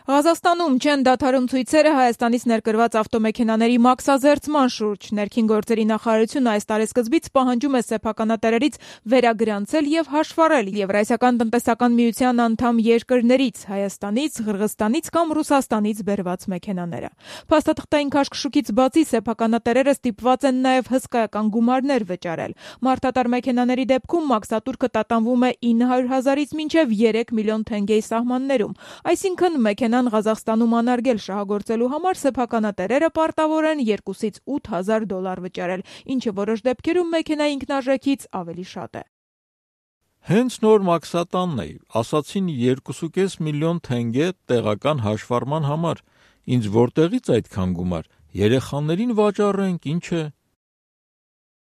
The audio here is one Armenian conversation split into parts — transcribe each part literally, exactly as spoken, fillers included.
Ղազախստանում չեն դադարում ցույցերը Հայաստանից ներկրված ավտոմեքենաների մաքսազերծման շուրջ։ Ներքին գործերի նախարարությունը այս տարեսկզբից պահանջում է սեփականատերերից վերագրանցել եւ հաշվառել Եվրասիական տնտեսական միության անդամ երկրներից Հայաստանից, Ղրղըզստանից կամ Ռուսաստանից բերված մեքենաները։ Փաստաթղթային քաշքշուկից բացի սեփականատերերը ստիպված են նաեւ հսկայական գումարներ վճարել։ Մարդատար մեքենաների դեպքում մաքսատուրքը տատանվում է ինը հարյուր հազարից մինչեւ երեք միլիոն թենգեի սահմաններում, այսինքն մեքենան Ղազախստանում անարգել շահագործելու համար սեփականատերերը պարտավոր են երկուսից ութ հազար դոլար վճարել, ինչը որոշ դեպքերում մեքենայի ինքնարժեքից ավելի շատ է։ Հենց նոր մաքսատանն է, ասացին երկուսուկես միլիոն թենգե տեղական հաշվառման համար, ինձ որտեղից այդքան գումար, երեխաներին վաճառենք, ինչ է։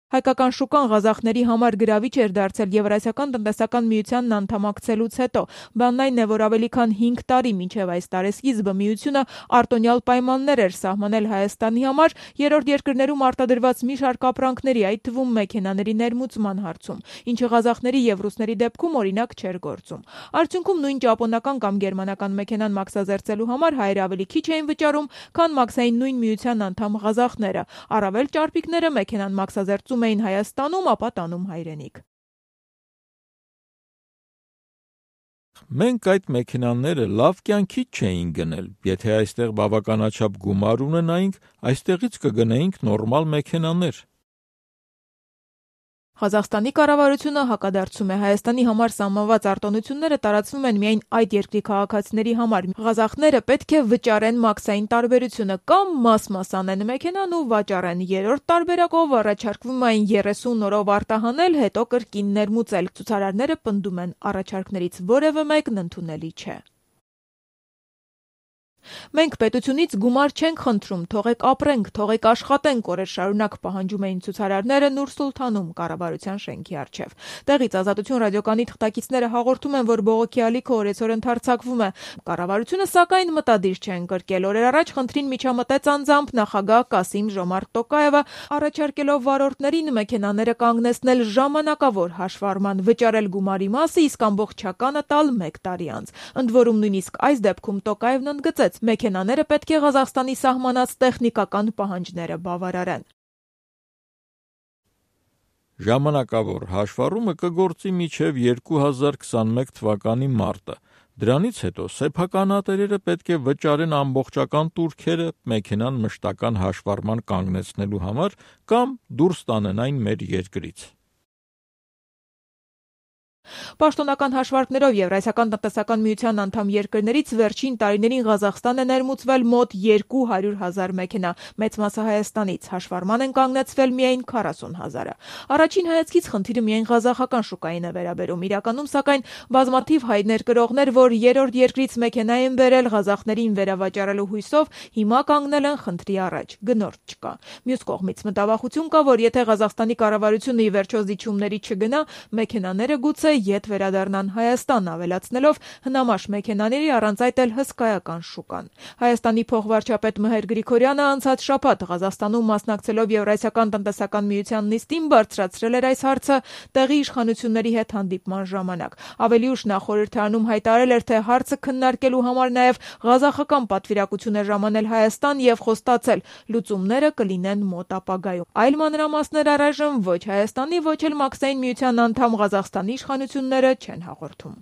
Հայկական շուկան ղազախների համար գրավիչ էր դարձել Եվրասիական տնտեսական միությանն անդամակցելուց հետո։ Բանն այն է, որ ավելի քան հինգ տարի մինչև այս տարեսկիզբը միությունը արտոնյալ պայմաններ էր սահմանել Հայաստանի համար երրորդ երկրներում արտադրված մի շարք ապրանքների, այդ թվում մեքենաների ներմուծման հարցում, ինչը ղազախների եւ ռուսների դեպքում օրինակ չէր գործում։ Արդյունքում նույն ճապոնական կամ գերմանական մեքենան մաքսազերծելու համար հայերը ավելի քիչ էին վճարում, քան մաքսային նույն միության անդամ ղազախները։ Առավել ճարպիկները մեքենան մաքսազերծում էին Հայաստանում, ապա տանում հայրենիք։ Մենք այդ մեքենաները լավ կյանքից չէին գնել, եթե այստեղ բավականաչափ գումար ունենայինք, այստեղից կգնեինք նորմալ մեքենաներ։ Ղազախստանի կառավարությունը հակադարձում է Հայաստանի համար սահմանված արտոնությունները տարածվում են միայն այդ երկրի քաղաքացիների համար։ Ղազախները պետք է վճարեն մաքսային տարբերությունը կամ մաս-մաս անեն մեքենան ու վաճառեն։ Երրորդ տարբերակով առաջարկվում է այն երեսուն օրով արտահանել, հետո կրկին ներմուծել։ Ցուցարարները պնդում են, առաջարկներից որևէ մեկն ընդունելի չէ։ Մենք պետությունից գումար չենք խնդրում, թողեք ապրենք, թողեք աշխատենք, օրեր շարունակ պահանջում էին ցուցարարները Նուր Սուլթանում կառավարության շենքի առջև։ Տեղից Ազատություն ռադիոկայանի թղթակիցները հաղորդում են, որ բողոքի ալիքը օրեցօր ընդարձակվում է։ Կառավարությունը սակայն մտադիր չէ ընկրկել։ Օրեր առաջ խնդրին միջամտեց անձամբ նախագահ Կասիմ Ժոմարտ Տոկաևը, առաջարկելով վարորդներին մեքենաները կանգնեցնել ժամանակավոր հաշվառման, վճարել գումարի մասը, իսկ ամբողջականը տալ մեկ տարի անց։ Ընդ որում նույնիսկ այս դեպքում Տոկաևն ընդգծեց, մեքենաները պետք է Ղազախստանի սահմանած տեխնիկական պահանջները բավարարեն։ Ժամանակավոր հաշվառումը կգործի մինչև երկու հազար քսանմեկ թվականի մարտը։ Դրանից հետո սեփականատերերը պետք է վճարեն ամբողջական տուրքերը մեքենան մշտական հաշվառման կանգնեցնելու համար կամ դուրս տանեն այն մեր երկրից։ Պաշտոնական հաշվարկներով Եվրասիական տնտեսական միության անդամ երկրներից վերջին տարիներին Ղազախստան է ներմուծվել մոտ երկու հարյուր հազար մեքենա, մեծ մասը Հայաստանից, հաշվառման են կանգնեցվել միայն քառասուն հազարը։ Առաջին հայացքից խնդիրը միայն ղազախական շուկային է վերաբերում։ Իրականում, սակայն, բազմաթիվ հայ ներկրողներ, որ երրորդ երկրից մեքենա են բերել Ղազախներին վերավաճառելու հույսով, հիմա կանգնել են խնդրի առաջ, գնորդ չկա։ Մյուս կողմից մտավախություն կա, որ եթե Ղազախստանի կառավարությունը ի վերջո զիջումների չգնա, մեքենաները գուցե ետ վերադառնան Հայաստան, ավելացնելով հնամաշ մեքենաների առանց այդ էլ հսկայական շուկան։ Հայաստանի փոխվարչապետ Մհեր Գրիգորյանը անցած շաբաթ Ղազախստանում մասնակցելով Եվրասիական տնտեսական միության նիստին բարձրացրել էր այս հարցը տեղի իշխանությունների հետ հանդիպման ժամանակ։ Ավելի ուշ նա խորհրդարանում հայտարարել էր, թե հարցը քննարկելու համար նաև ղազախական պատվիրակություն է ժամանել Հայաստան եւ խոստացել, լուծումները կլինեն մոտ ապագայում։ Այլ մանրամասներ առայժմ ոչ Հայաստանի, ոչ էլ մաքսային միության անդամ Ղազախստանի իշխանությունները չեն հաղորդում։